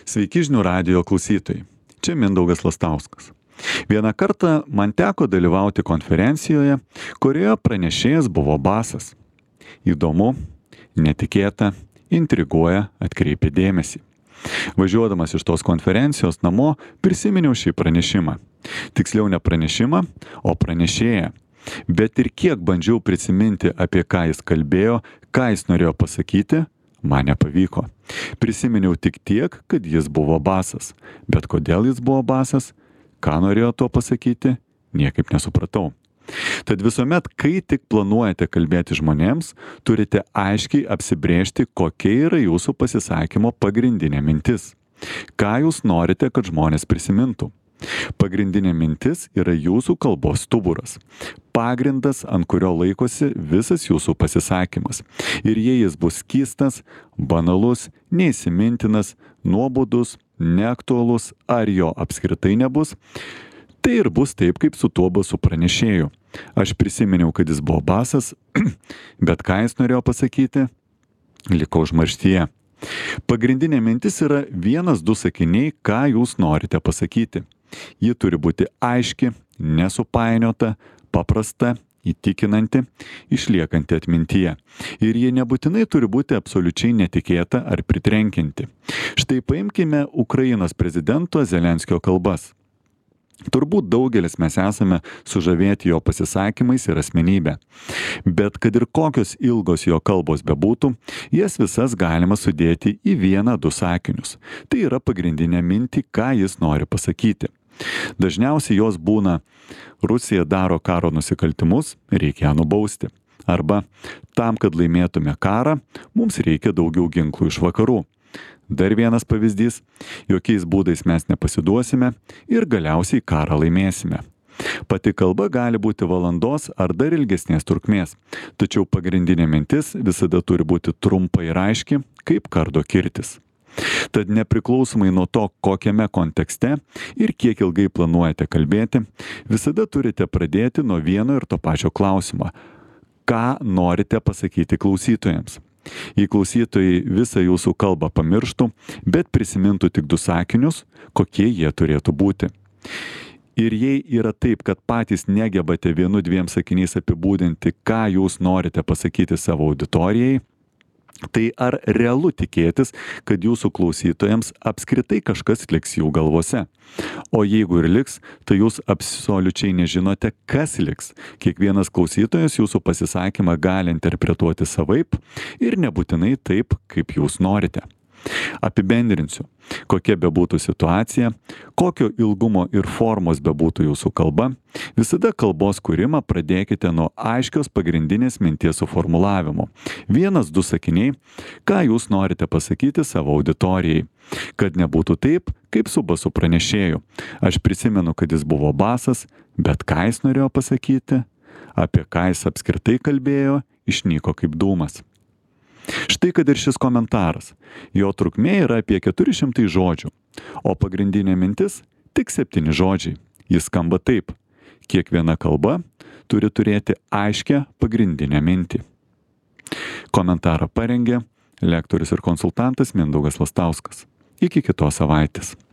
Sveiki žinių radijo klausytojai. Čia Mindaugas Lastauskas. Vieną kartą man teko dalyvauti konferencijoje, kurioje pranešėjas buvo basas. Įdomu, netikėta, intriguoja, atkreipia dėmesį. Važiuodamas iš tos konferencijos namo prisiminiau šį pranešimą. Tiksliau ne pranešimą, o pranešėją. Bet ir kiek bandžiau prisiminti, apie ką jis kalbėjo, ką jis norėjo pasakyti, man nepavyko. Prisiminiau tik tiek, kad jis buvo basas. Bet kodėl jis buvo basas, ką norėjo tuo pasakyti, niekaip nesupratau. Tad visuomet, kai tik planuojate kalbėti žmonėms, turite aiškiai apsibrėžti, kokia yra jūsų pasisakymo pagrindinė mintis. Ką jūs norite, kad žmonės prisimintų. Pagrindinė mintis yra jūsų kalbos stuburas. Pagrindas, ant kurio laikosi visas jūsų pasisakymas. Ir jei jis bus skystas, banalus, neįsimintinas, nuobodus, neaktualus ar jo apskritai nebus, tai ir bus taip, kaip su tuo basu pranešėju. Aš prisiminiau, kad jis buvo basas, bet ką jis norėjo pasakyti, liko užmarštyje. Pagrindinė mintis yra 1-2 sakiniai, ką jūs norite pasakyti. Ji turi būti aiški, nesupainiota, paprasta, įtikinanti, išliekanti atmintyje. Ir ji nebūtinai turi būti absoliučiai netikėta ar pritrenkianti. Štai paimkime Ukrainos prezidento Zelenskio kalbas. Turbūt daugelis mes esame sužavėti jo pasisakymais ir asmenybę. Bet kad ir kokios ilgos jo kalbos bebūtų, jas visas galima sudėti į 1-2 sakinius. Tai yra pagrindinė mintį, ką jis nori pasakyti. Dažniausiai jos būna: Rusija daro karo nusikaltimus, reikia ją nubausti. Arba tam, kad laimėtume karą, mums reikia daugiau ginklų iš vakarų. Dar vienas pavyzdys: jokiais būdais mes nepasiduosime ir galiausiai karą laimėsime. Pati kalba gali būti valandos ar dar ilgesnės trukmės, tačiau pagrindinė mintis visada turi būti trumpa ir aiški, kaip kardo kirtis. Tad nepriklausomai nuo to, kokiame kontekste ir kiek ilgai planuojate kalbėti, visada turite pradėti nuo vieno ir to pačio klausimo. Ką norite pasakyti klausytojams? Jei klausytojai visą jūsų kalbą pamirštų, bet prisimintų tik 2 sakinius, kokie jie turėtų būti. Ir jei yra taip, kad patys negebate 1-2 sakiniais apibūdinti, ką jūs norite pasakyti savo auditorijai, tai ar realu tikėtis, kad jūsų klausytojams apskritai kažkas liks jų galvose? O jeigu ir liks, tai jūs absoliučiai nežinote, kas liks. Kiekvienas klausytojas jūsų pasisakymą gali interpretuoti savaip ir nebūtinai taip, kaip jūs norite. Apibendrinsiu, kokia bebūtų situacija, kokio ilgumo ir formos bebūtų jūsų kalba, visada kalbos kūrimą pradėkite nuo aiškios pagrindinės minties suformulavimo. 1-2 sakiniai, ką jūs norite pasakyti savo auditorijai. Kad nebūtų taip, kaip su basu pranešėju. Aš prisimenu, kad jis buvo basas, bet ką jis norėjo pasakyti, apie ką jis apskritai kalbėjo, išnyko kaip dūmas. Štai kad ir šis komentaras. Jo trukmė yra apie 400 žodžių, o pagrindinė mintis tik 7 žodžiai. Jis skamba taip: kiekviena kalba turi turėti aiškę pagrindinę mintį. Komentarą parengė lektorius ir konsultantas Mindaugas Lastauskas. Iki kitos savaitės.